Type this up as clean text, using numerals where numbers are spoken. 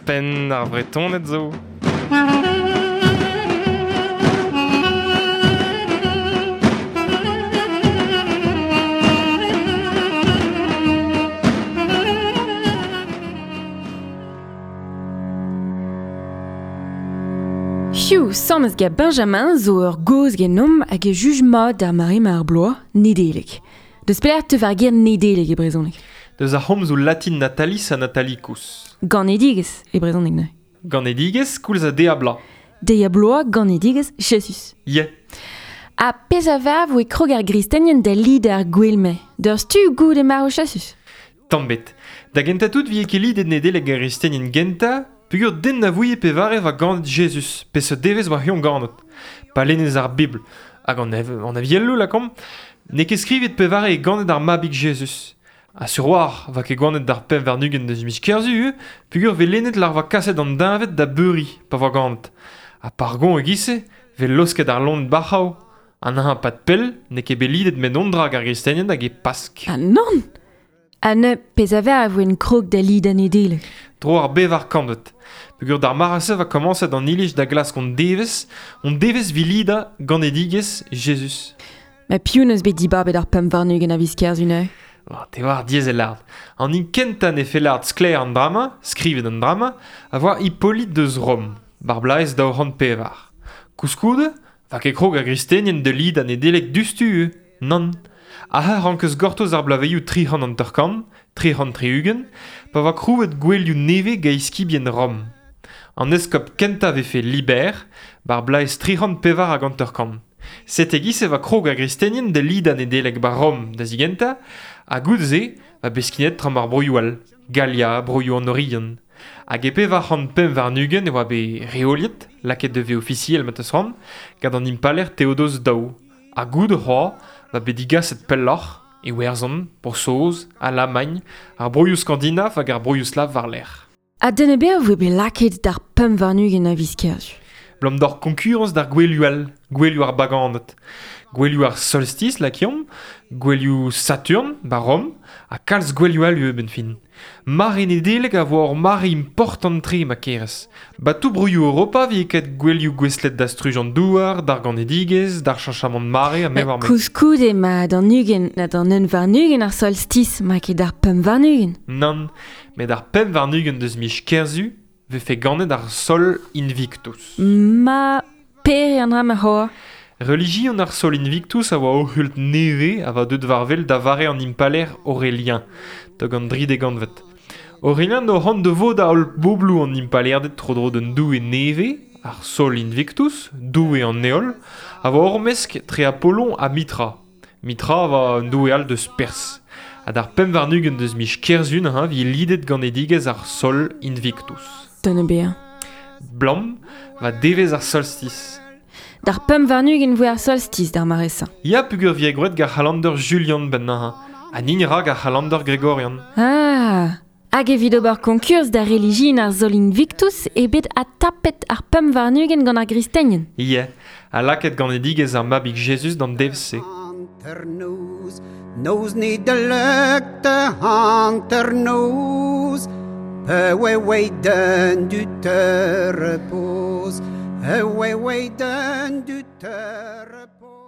Penn ar Vretoned zo. Hiziv, sammes gant Benjamin zo ur gaoz genomp hag e juj mat d'ar mare ma ar bloaz, Nedeleg. Deus pelec'h teu ar ger Nedeleg e brezhoneg? Deus ar c'homzoù latin natalis ha natalicus. Ganedigezh e brezhoneg neuze. Ganedigezh koulz ha deiz-ha-bloaz. Deiz-ha-bloaz, ganedigezh, Jesus. Yeah. Ha pezh a varv e krog ar gristenien da lidañ ar gouel-mañ, d'ur stu goude marv Jesus. Tamm bet. Da gentañ tout 'vije ket lidet Nedeleg ar gristenien gentañ, peogwir den na vouie pevare 'oa ganet Jezuz, peseurt devezh 'oa c'hoant ganet. Pa lennez ar Bibl, hag an, an avieloù lakaomp, n'eo ket skrivet pevare eo ganet ar mabig Jezuz. Ha sur 'oar 'oa ket ganet d'ar 25 deus miz Kerzu ivez, peogwir 'vez lennet lar 'oa kaset an deñved da beuriñ pa oa ganet. Ha pargon e-giz-se 'vez laosket ar loened bac'hav. An hañv 'pad pell n'eo ket bet lidet met on dra hag ar gristenien hag e Pask. Ha nann! Ha neuze, pezh a ver a voen krog da lidañ Nedeleg. Tro ar bevar kantved. Peogwir d'ar mare-se 'oa komañset an iliz da glask hon devezh, hon devezh 'vit lidañ ganedigezh Jezuz. Ma piv 'neus bet dibabet ar 25 a viz Kerzu neuze? Oh, te oar diaes e lard. An hini kentañ ne fell lard sklaer an drama, skrivet an drama, a voa Hippolyte deus Rom, bar blaez 204. Koulskoude, 'Va ket krog ar gristenien da lidañ Nedeleg diouzhtu, nann. Aze 'rankas gortoz ar bloavezhioù 350, 360, pa oa krouet gouelioù nevez gant eskibien Rom. An eskob kentañ 'vefe Liber, 'bar bloaz 354. Sete e-giz e oa krog ar gristenien da lidañ Nedeleg 'ba Rom da zigentañ, ha goude-se 'oa bet skignet tram ar broioù all, Galia, broioù an Oriant. Hag e 425 e oa bet reoliet, lakaet da vezañ ofisiel ma 'teus c'hoant, gant an impalaer Theodoz II. Ha goude c'hoazh 'oa bet digaset pelloc'h, Iwerzhon, Bro-Saoz, Alamagn, ar broioù skandinav hag ar broioù slav war-lerc'h. Ha den ebet a voe bet lakaet d'ar 25 a viz Kerzu. 'Blam d'hor koñkurañs d'ar gouelioù all, gouelioù ar baganed. Gouelioù ar solstiz, lakaomp, gouelioù Saturn, 'ba Rom, ha kalz gouelioù all ivez 'benn fin. Mare Nedeleg a vo ur mare important-tre ma kerez. Ba tout broioù Europa 'vije ket gouelioù gouestlet da struj an douar, d'ar ganedigezh, d'ar cheñchamant mare ha me 'oar me. Koulskoude ma d'an 20 na d'an 21 ar solstiz ma ket d'ar 25. Nann, met ar 25 deus miz Kerzu 'vefe ganet ar Sol Invictus. Ma pere an dra ma c'hoar. Relijion ar Sol Invictus a oa ur c'hult nevez a oa deuet war-wel da vare an impalaer Aurélien, tog an dride gantved. Aurélien o c'hoant da vodañ holl bobloù an impalaerded tro-dro d'un doue nevez, ar Sol Invictus, doue an heol, a oa ur-mesk tre Apollon ha Mitra. Mitra a oa un doue all deus Pers. Ha d'ar 25 deus miz Kerzu neuze 'vije lidet ganedigezh ar Sol Invictus. Den ebet. Blam, va devezh ar solstiz. D'ar 25 voe ar solstiz d'ar mare-se. Ya peogwir 'vije gwraet gant ar c'halander Julian 'benn neuze, ha nin 'ra gant ar c'halander Gregorian. Ah! Hag evit ober koñkurs da relijion ar Sol Invictus eo bet adtapet ar 25 gant ar gristenien. Ya, ha lakaet ganedigezh ar mabig Jezuz d'an devezh-se. Hanternoz, noz Nedeleg da hanternoz, pe oe oe den du te repoz, e oe oe den du te repoz.